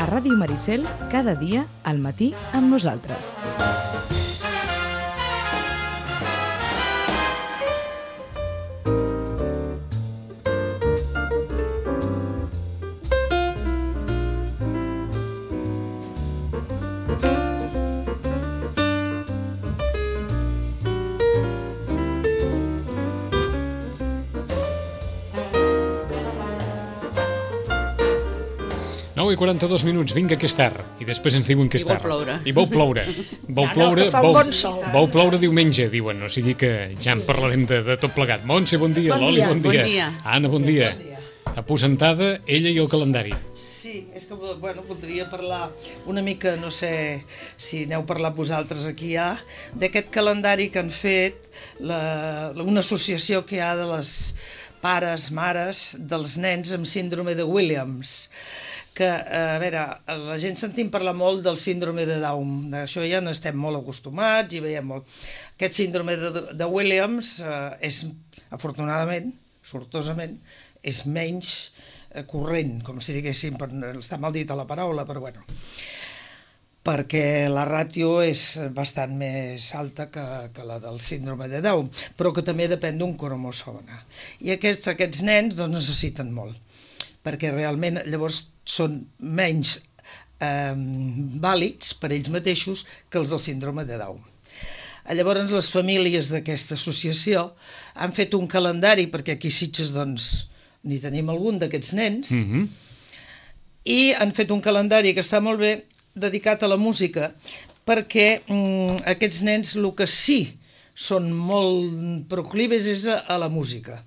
Ràdio Maricel, cada dia al matí amb nosaltres. I 42 minuts, vinga que és tard. I després ens diuen que és tard. I vol ploure. Vol ploure diumenge, diuen. O sigui que ja en parlarem de tot plegat. Montse, bon dia. Loli, bon dia. Anna, bon dia. Aposentada, ella i el calendari. Sí, és que voldria parlar una mica, no sé si n'heu parlat vosaltres aquí ja, d'aquest calendari que han fet una associació que hi ha de les pares, mares dels nens amb síndrome de Williams. Que, a veure, la gent sentim parlar molt del síndrome de Down, d'això ja n'estem molt acostumats i veiem molt. Aquest síndrome de Williams és, afortunadament, sortosament, és menys corrent, com si diguéssim, està mal dit a la paraula, però bueno, perquè la ràtio és bastant més alta que la del síndrome de Down, però que també depèn d'un cromosoma. I aquests nens doncs, necessiten molt, perquè realment llavors són menys vàlids per ells mateixos que els del síndrome de Down. Llavors les famílies d'aquesta associació han fet un calendari, perquè aquí a Sitges doncs, n'hi tenim algun d'aquests nens, i han fet un calendari que està molt bé dedicat a la música, perquè aquests nens el que sí són molt proclives és a la música.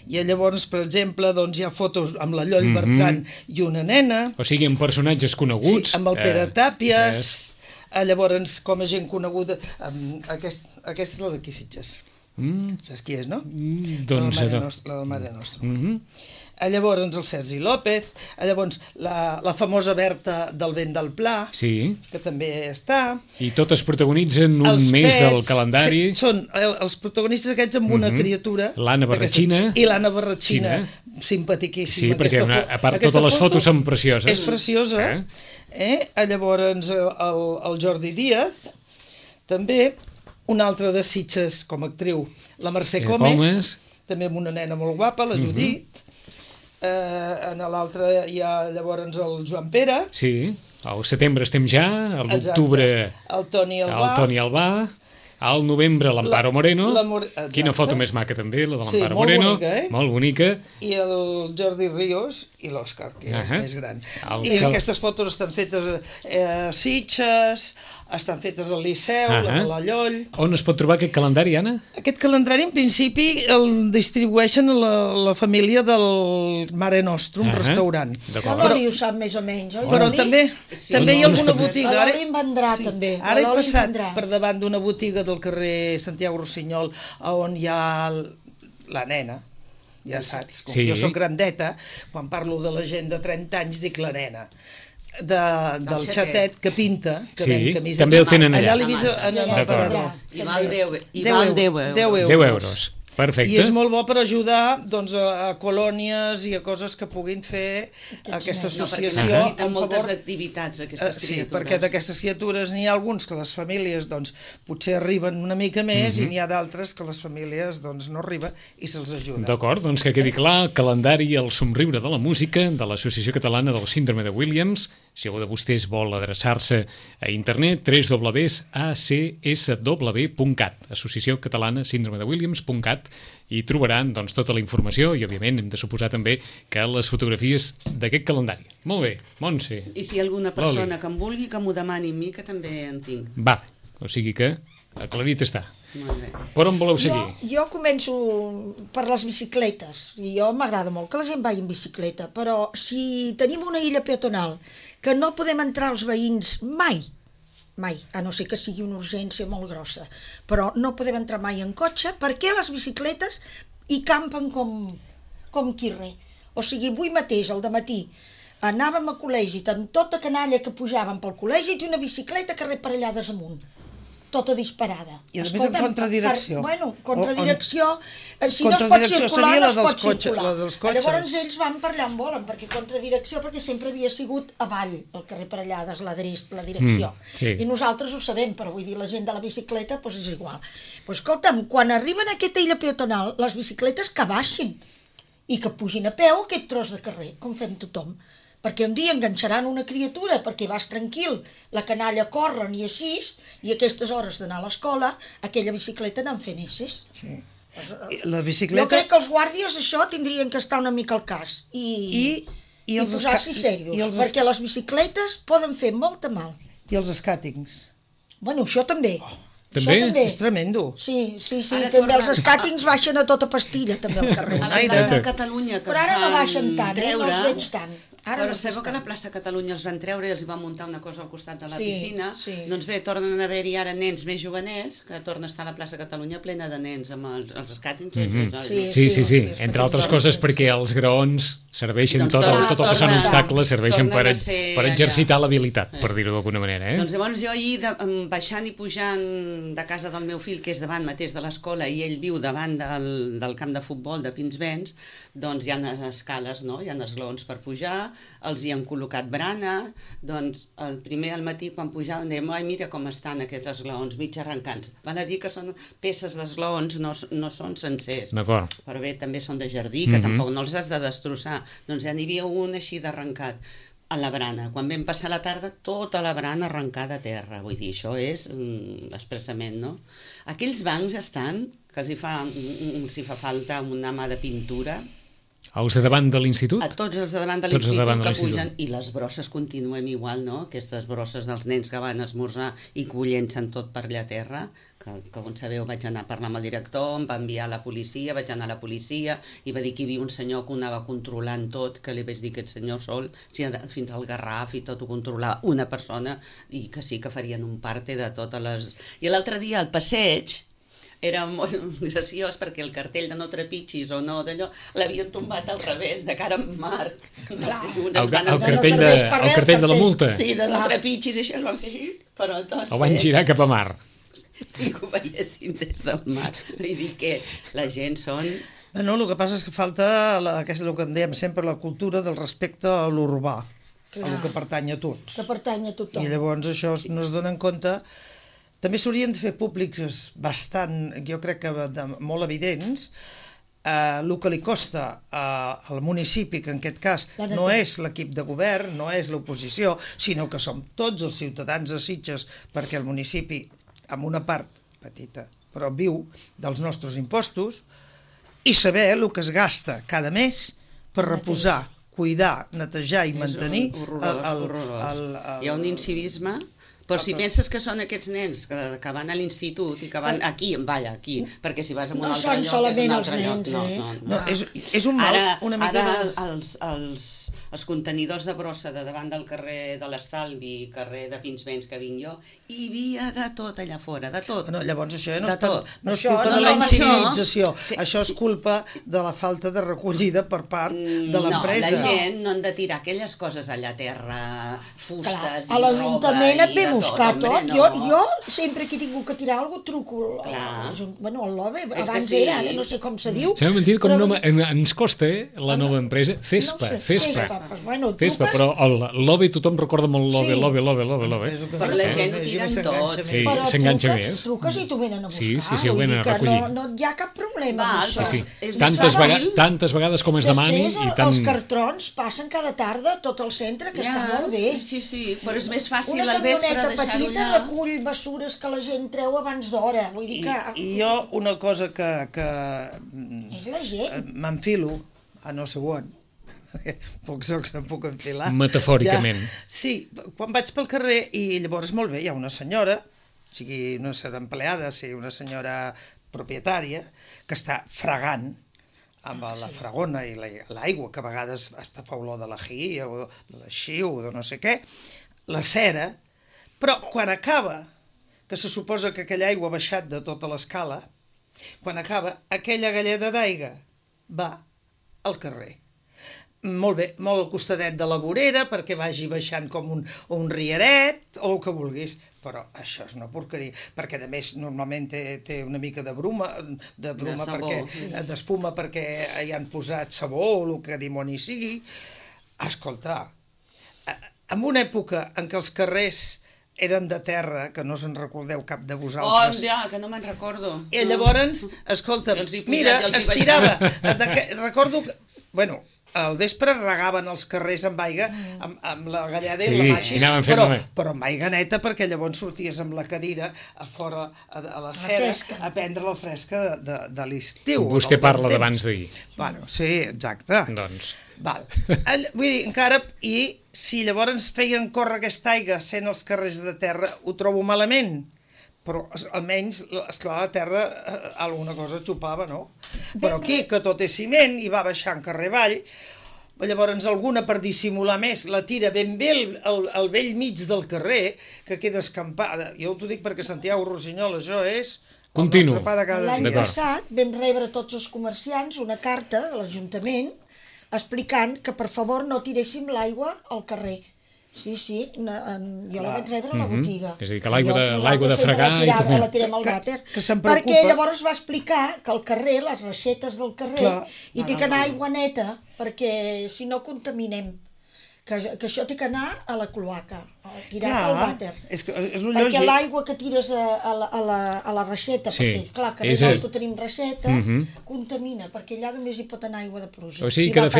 I llavors, per exemple, doncs, hi ha fotos amb la Lloll Bertran i una nena. O sigui, amb personatges coneguts. Sí, amb el Pere Tàpies. Llavors, com a gent coneguda, aquesta és la d'aquí Sitges. Saps qui és, no? Doncs la del Mare Nostra. Llavors el Sergi López, llavors la famosa Berta del Vent del Pla, que també està. I totes protagonitzen un mes del calendari. Són els protagonistes aquests amb una criatura. L'Anna Barratxina. I l'Anna Barratxina, simpaticíssima. Sí, perquè a part totes les fotos són precioses. És preciosa. Llavors el Jordi Díaz, també un altre de Sitges com a actriu, la Mercè Comes, també amb una nena molt guapa, la Judit. En l'altre hi ha llavors el Joan Pere. Sí, al setembre estem ja, a l'octubre el Toni Albà, al novembre l'Amparo Moreno, quina foto més maca també, la de l'Amparo Moreno, molt bonica. I el Jordi Ríos i l'Òscar, que és més gran. I aquestes fotos estan fetes a Sitges, estan fetes al Liceu, a la Lloll. On es pot trobar aquest calendari, Anna? Aquest calendari, en principi, el distribueixen a la família del Mare Nostrum, restaurant. L'Oli ho sap més o menys, oi? Però també hi ha alguna botiga. L'Oli en vendrà, també. Ara he passat per davant d'una botiga del carrer Santiago Rossinyol, on hi ha la nena. Ja saps, com jo soc grandeta, quan parlo de la gent de 30 anys dic la nena. Del xatet que pinta, que ven camiseta. També el tenen allà. Allà l'he vist en el aparador. I val 10 euros. Perfecte. I és molt bo per ajudar a colònies i a coses que puguin fer aquesta associació. Necessiten moltes activitats, aquestes criatures. Sí, perquè d'aquestes criatures n'hi ha alguns que les famílies potser arriben una mica més i n'hi ha d'altres que les famílies no arriben i se'ls ajuda. D'acord, doncs que quedi clar, el calendari El somriure de la música de l'Associació Catalana del Síndrome de Williams. Si algú de vostès vol adreçar-se a internet, www.acsw.cat, Associació Catalana Síndrome de Williams.cat, i trobaran tota la informació i, òbviament, hem de suposar també que les fotografies d'aquest calendari. Molt bé, Montse. I si hi ha alguna persona que em vulgui, que m'ho demani a mi, que també en tinc. Va, o sigui que aclarit està. Molt bé. Per on voleu seguir? Jo començo per les bicicletes. I jo m'agrada molt que la gent vagi en bicicleta, però si tenim una illa peatonal que no podem entrar els veïns mai, mai, a no ser que sigui una urgència molt grossa. Però no podem entrar mai en cotxe perquè les bicicletes hi campen com qui res. O sigui, avui mateix, al dematí, anàvem a col·legi amb tota canalla que pujàvem pel col·legi i una bicicleta que reparellades amunt, tota disparada. I a més en contradirecció. Contradirecció, si no es pot circular, no es pot circular. La dels cotxes. Llavors ells van per allà on volen, perquè contradirecció, perquè sempre havia sigut avall, el carrer Parellades, la direcció. Sí. I nosaltres ho sabem, però vull dir, la gent de la bicicleta, doncs és igual. Doncs escolta'm, quan arriben a aquesta illa peatonal, les bicicletes que baixin i que pugin a peu aquest tros de carrer, com fem tothom. Perquè un dia enganxaran una criatura perquè vas tranquil, la canalla corren i així, i a aquestes hores d'anar a l'escola, aquella bicicleta anant fent esses. Sí. La bicicleta... Jo crec que els guàrdies això tindrien que estar una mica al cas i posar-s'hi serios, perquè les bicicletes poden fer molta mal. I els escàtings. Bueno, això també. També? És tremendo. Sí, també els escàtings baixen a tota pastilla, també al carrer. A la plaça de Catalunya, que però ara no baixen tant, no els veig tant. Però sabeu que a la plaça Catalunya els van treure i els van muntar una cosa al costat de la piscina? Doncs bé, tornen a haver-hi ara nens més jovenets, que torna a estar a la plaça Catalunya plena de nens amb els escàtings. Sí. Entre altres coses perquè els graons serveixen, tot el que són obstacles, serveixen per exercitar l'habilitat, per dir-ho d'alguna manera. Doncs llavors jo ahir, baixant i pujant de casa del meu fill, que és davant mateix de l'escola, i ell viu davant del camp de futbol de Pinsbens, doncs hi ha escales, hi ha esglaons per pujar, els hi han col·locat brana, doncs el primer al matí quan pujàvem dèiem, ai mira com estan aquests esglaons mig arrencats, val a dir que són peces d'esglaons, no són sencers. D'acord. Però bé, també són de jardí, que tampoc no els has de destrossar, doncs ja n'hi havia un així d'arrencat a la brana. Quan vam passar la tarda, tota la brana arrencada a terra. Vull dir, això és l'expressament, no? Aquells bancs estan, que els hi fa falta una mà de pintura. Els de davant de l'institut? A tots els de davant de l'institut que pugen, i les brosses continuem igual, no? Aquestes brosses dels nens que van esmorzar i que ho llencen tot per allà a terra, que com sabeu vaig anar a parlar amb el director, em va enviar a la policia, vaig anar a la policia i va dir que hi havia un senyor que ho anava controlant tot, que li vaig dir que aquest senyor sol, fins al Garraf i tot ho controlava una persona, i que sí que farien un parte de totes les... I l'altre dia al passeig era molt graciós perquè el cartell de no trepitgis o no d'allò l'havien tombat al revés, de cara en mar. El cartell de la multa. Sí, de no trepitgis, i això el van fer, però el van girar cap a mar. I que ho veiessin des del mar. Vull dir que la gent són... No, el que passa és que falta el que en dèiem sempre, la cultura del respecte a l'urbà, el que pertany a tots. Que pertany a tothom. I llavors això no es dona en compte. També s'haurien de fer públics bastant, jo crec que molt evidents, el que li costa al municipi, que en aquest cas no és l'equip de govern, no és l'oposició, sinó que som tots els ciutadans de Sitges, perquè el municipi, amb una part petita, però viu dels nostres impostos, i saber el que es gasta cada mes per reposar, cuidar, netejar i mantenir... Hi ha un incivisme... Però si penses que són aquests nens que van a l'institut i que van aquí, perquè si vas a un altre lloc és un altre lloc. No, és un mal una mica... Ara els contenidors de brossa de davant del carrer de l'Estalvi, carrer de Pinsbens que vinc jo, hi havia de tot allà fora, de tot. No, llavors això no és culpa de la incivilització, això és culpa de la falta de recollida per part de l'empresa. No, la gent no han de tirar aquelles coses allà a terra, fustes i roba. A l'Ajuntament et ve buscar tot. Jo sempre que he tingut que tirar alguna cosa truco al LOBE, abans era, ara no sé com se diu. S'ha mentit com ens costa la nova empresa, CESPA, però el LOBE, tothom recorda molt LOBE. Però la gent ho tiren tot. Sí, s'enganxa més. Truques i t'ho venen a buscar. Sí, ho venen a recollir. No hi ha cap problema amb això. Tantes vegades com es demani. Els cartrons passen cada tarda tot el centre, que està molt bé. Sí, però és més fàcil al vespre deixar-ho allà. Una camioneta petita recull bessures que la gent treu abans d'hora. Vull dir que... I jo una cosa que és la gent. M'enfilo a no sé on, pocs jocs em puc enfilar. Metafòricament. Sí, quan vaig pel carrer i llavors molt bé, hi ha una senyora, sigui no serà empleada, sigui una senyora propietària, que està fregant amb la fregona i l'aigua, que a vegades fa olor de l'ají o de l'així o de no sé què, la cera, Però quan acaba, que se suposa que aquella aigua ha baixat de tota l'escala, quan acaba, aquella galleda d'aigua va al carrer. Molt bé, molt al costadet de la vorera, perquè vagi baixant com un riaret, o el que vulguis. Però això és una porqueria, perquè a més normalment té una mica de bruma, d'espuma perquè hi han posat sabó o el que dimoni sigui. Escolta, en una època en què els carrers eren de terra, que no se'n recordeu cap de vosaltres. Ja, que no me'n recordo. I llavors, escolta, mira, estirava. Recordo que, bueno, al vespre regaven els carrers amb aigua, amb la galleda i la maixis, però amb aigua neta, perquè llavors sorties amb la cadira a fora, a la cera, a prendre la fresca de l'estiu. Vostè parla d'abans d'ahir. Bueno, sí, exacte. Doncs... Vull dir, encara, i si llavors feien córrer aquesta aigua sent els carrers de terra, ho trobo malament. Però almenys, esclar, la terra alguna cosa xupava, no? Però aquí, que tot és ciment i va baixant carrer avall, llavors alguna per dissimular més la tira ben bé al vell mig del carrer, que queda escampada. Jo t'ho dic perquè Santiago Rossinyol, això és... Continu. L'any passat vam rebre tots els comerciants una carta de l'Ajuntament explicant que per favor no tiréssim l'aigua al carrer. Sí, jo la vaig rebre a la botiga. És a dir, que l'aigua de fregar... La tirem al vàter. Perquè llavors va explicar que al carrer, les reixetes del carrer, hi té que anar aigua neta, perquè si no contaminem. Que això té que anar a la cloaca, tirat al vàter. Perquè l'aigua que tires a la reixeta, perquè clar, que nosaltres tenim reixeta, contamina, perquè allà només hi pot anar aigua de pluja. O sigui que de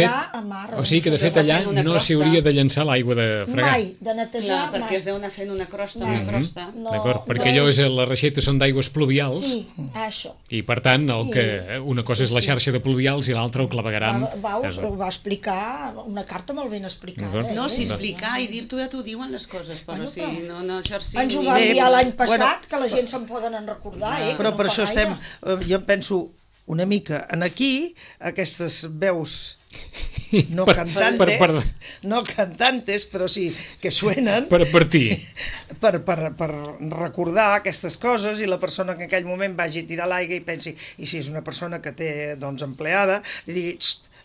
fet allà no s'hi hauria de llençar l'aigua de fregar. Mai, de netejar, mai. Perquè es deu anar fent una crosta, D'acord, perquè allò les reixetes són d'aigües pluvials. Sí, això. I per tant, una cosa és la xarxa de pluvials i l'altra el clavegaram. Ho va explicar, una carta molt ben explicada. No, si explicar i dir-t'ho ja t'ho diuen les coses, però si no exercim... Ens ho va enviar l'any passat, que la gent se'n poden recordar, Però per això estem, jo penso una mica en aquí, aquestes veus no cantantes, però sí que suenen... Per advertir. Per recordar aquestes coses i la persona que en aquell moment vagi a tirar l'aigua i pensi, i si és una persona que té, doncs, empleada, li digui,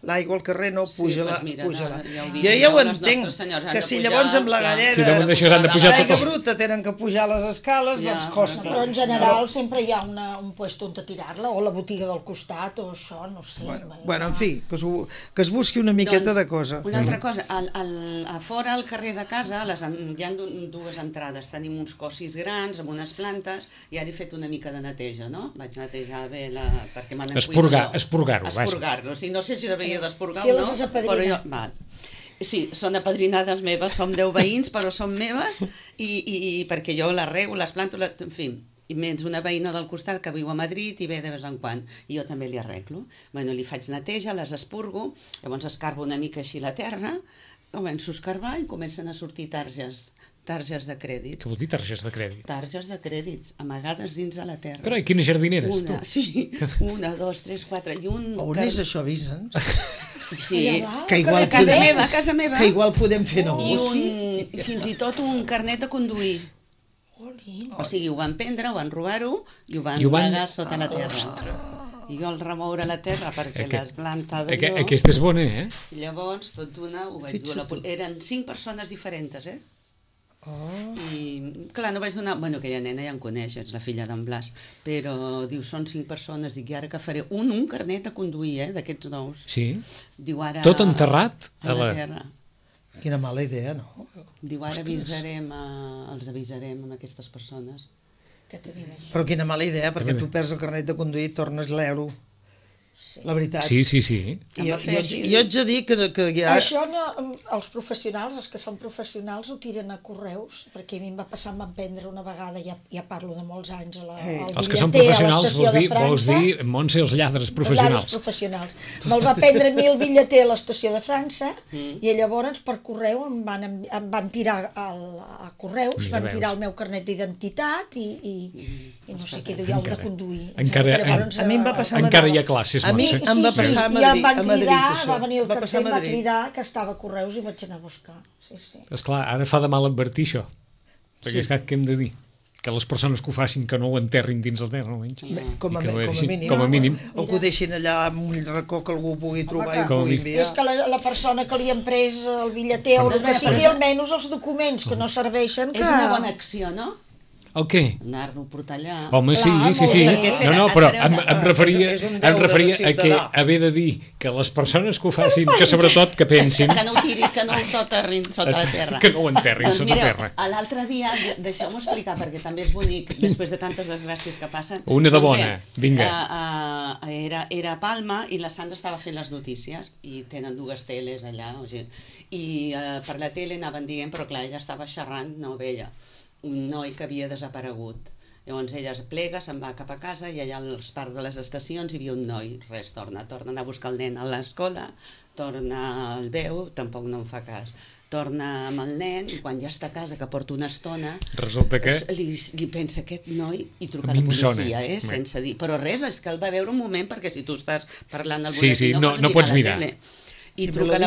l'aigua al carrer no, puja-la. Jo ja ho entenc, que si llavors amb la galleda l'aigua bruta tenen que pujar les escales, doncs costa. Però en general sempre hi ha un puesto on tirar-la, o la botiga del costat, o això, no sé. Bueno, en fi, que es busqui una miqueta de cosa. Una altra cosa, a fora al carrer de casa hi ha dues entrades, tenim uns cossis grans amb unes plantes, i ara he fet una mica de neteja, no? Vaig netejar bé perquè me n'encuido. Esporgar-lo, sí, no sé si d'esporgar o no, però jo... Sí, són apadrinades meves, som 10 veïns, però són meves, i perquè jo les rego, les planto, en fi, i menys una veïna del costat que viu a Madrid i ve de vez en quan, i jo també li arreglo. Bueno, li faig neteja, les espurgo, llavors escarbo una mica així la terra, començo a escarbar i comencen a sortir targes de crèdit. Què vol dir targes de crèdit? Targes de crèdit, amagades dins de la terra. Carai, quina jardinera és tu? Sí, 1, 2, 3, 4 i un... On és això, Vicenç? Sí, que igual casa meva. Que igual podem fer nou. I fins i tot un carnet de conduir. O sigui, ho van prendre, ho van robar-ho i ho van amagar sota la terra. I jo al remoure la terra perquè les planta d'allò... Aquesta és bona, Llavors, tot d'una, ho vaig dur a la... Eren 5 persones diferents, I, clar, no vaig donar... Bueno, aquella nena ja em coneix, és la filla d'en Blas, però diu, són 5 persones, dic, i ara que faré un carnet a conduir, d'aquests nous. Sí? Diu, ara... Tot enterrat a la terra. Quina mala idea, no? Diu, ara els avisarem a aquestes persones. Però quina mala idea, perquè tu perds el carnet de conduir i tornes l'euro. La veritat. Sí. Jo haig de dir que ja... Això els professionals, els que són professionals, ho tiren a correus, perquè a mi em va passar, em van prendre una vegada, ja parlo de molts anys, els que són professionals vols dir Montse, els lladres professionals. Me'l va prendre a mi el bitlleter a l'estació de França, i llavors per correu em van tirar a correus, van tirar el meu carnet d'identitat i no sé què duia el de conduir. A mi em va passar encara hi ha classes, a mi em va passar a Madrid, això. Va venir el carter, em va cridar que estava a Correus i vaig anar a buscar. Esclar, ara fa de mal advertir això. Perquè és que hem de dir que les persones que ho facin que no ho enterrin dins el terra, almenys. Com a mínim. O que ho deixin allà amb un racó que algú pugui trobar i com a pugui mínim. enviar. És que la persona que li han pres el bitlleter o el que sigui, almenys els documents que no serveixen que... És una bona acció, no? El què? Anar-lo a portar allà. Home, sí. No, però em referia a que haver de dir que les persones que ho facin, que sobretot que pensin... Que no ho tirin, que no ho soterrin sota la terra. Que no ho enterrin sota la terra. L'altre dia, deixeu-m'ho explicar, perquè també és bonic, després de tantes desgràcies que passen... Una de bona, vinga. Era a Palma i la Sandra estava fent les notícies i tenen 2 teles allà, i per la tele anaven dient, però clar, ella estava xerrant, no veia un noi que havia desaparegut. Llavors ella es plega, se'n va cap a casa i allà als parcs de les estacions hi havia un noi. Res, torna a anar a buscar el nen a l'escola, el veu, tampoc no en fa cas. Torna amb el nen i quan ja està a casa, que porta una estona, resulta que... li pensa aquest noi i truca a la policia, sense dir. Però res, és que el va veure un moment, perquè si tu estàs parlant al boletí no pots mirar la tele. I truca a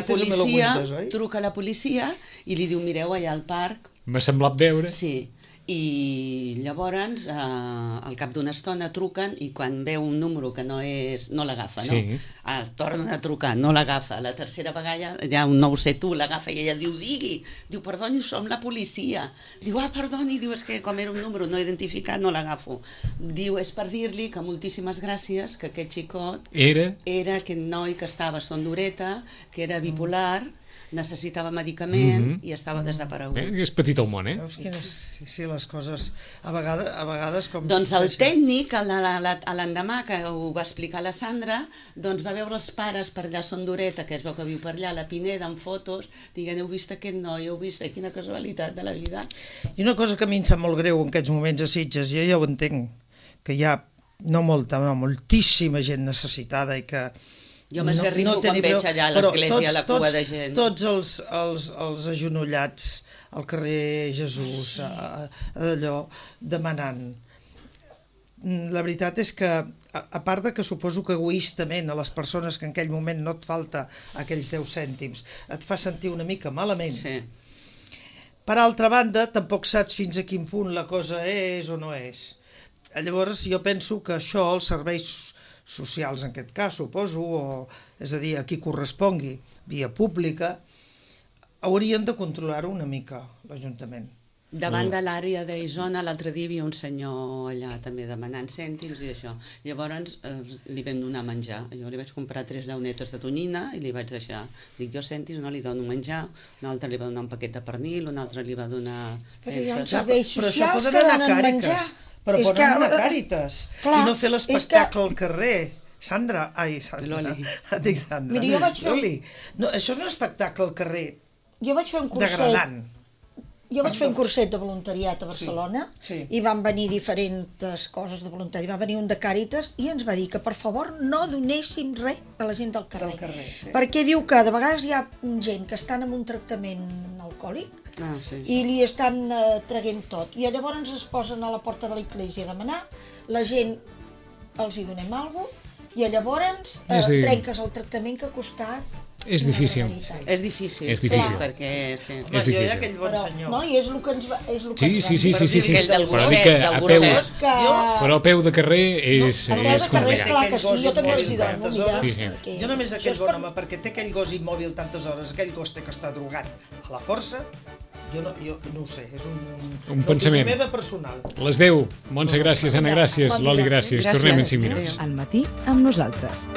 la policia i li diu, mireu, allà al parc... M'ha semblat veure. Sí, i llavors al cap d'una estona truquen i quan veu un número que no l'agafa, no? Sí. Tornen a trucar, no l'agafa. La tercera vegada, ja un 971 l'agafa i ella diu, diu, perdoni, som la policia. Diu, perdoni, diu, és que com era un número no identificat no l'agafo. Diu, és per dir-li que moltíssimes gràcies, que aquest xicot era aquest noi que estava a Son d'Ureta, que era bipolar, necessitava medicament i estava desaparegut. És petit el món, Veus quines... Sí, les coses... A vegades com... Doncs el tècnic, l'endemà que ho va explicar la Sandra, doncs va veure els pares per allà a Son d'Ureta, que es veu que viu per allà, a la Pineda, amb fotos, dient, heu vist aquest noi, heu vist, quina casualitat de la vida. I una cosa que a mi em sap molt greu en aquests moments a Sitges, jo ja ho entenc, que hi ha moltíssima gent necessitada i que... Jo m'esgarrifo quan veig allà a l'església la cua de gent. Tots els agenollats al carrer Jesús, allò, demanant. La veritat és que, a part de que suposo que egoistament a les persones que en aquell moment no et falta aquells 10 cèntims, et fa sentir una mica malament. Sí. Per altra banda, tampoc saps fins a quin punt la cosa és o no és. Llavors, jo penso que això, els serveis socials en aquest cas, suposo, és a dir, a qui correspongui, via pública, haurien de controlar-ho una mica, l'Ajuntament. Davant de l'àrea d'Isona, l'altre dia hi havia un senyor allà també demanant cèntims i això. Llavors li vam donar menjar. Jo li vaig comprar 3 llaunetes de tonyina i li vaig deixar. Dic, jo cèntims no li dono menjar, un altre li va donar un paquet de pernil, un altre li va donar... Però hi ha uns serveis socials que donen donen menjar. Però poden anar a Càritas i no fer l'espectacle al carrer. Sandra, dic Sandra. Mira, jo vaig fer... No, això és un espectacle al carrer. Jo vaig fer un curset. Degradant. Jo vaig fer un curset de voluntariat a Barcelona i van venir diferents coses de voluntari. Va venir un de Càritas i ens va dir que per favor no donéssim res a la gent del carrer. Perquè diu que de vegades hi ha gent que estan en un tractament alcohòlic i li estan traguent tot. I llavors es posen a la porta de l'església a demanar, la gent els hi donem alguna cosa i llavors trenques el tractament que ha costat. És difícil. És difícil, perquè... És difícil. Jo hi ha aquell bon senyor. No, i és el que ens va dir. Sí. Aquell del gosset. Però a peu de carrer és complicat. Clar que sí, jo també els hi dono, mira. Jo només aquell bon home, perquè té aquell gos immòbil tantes hores, aquell gos té que estar drogat a la força, jo no ho sé, és un pensament. Meva personal. Les 10. Montse, gràcies. Anna, gràcies. Loli, gràcies. Tornem en 5 minuts. Al matí amb nosaltres.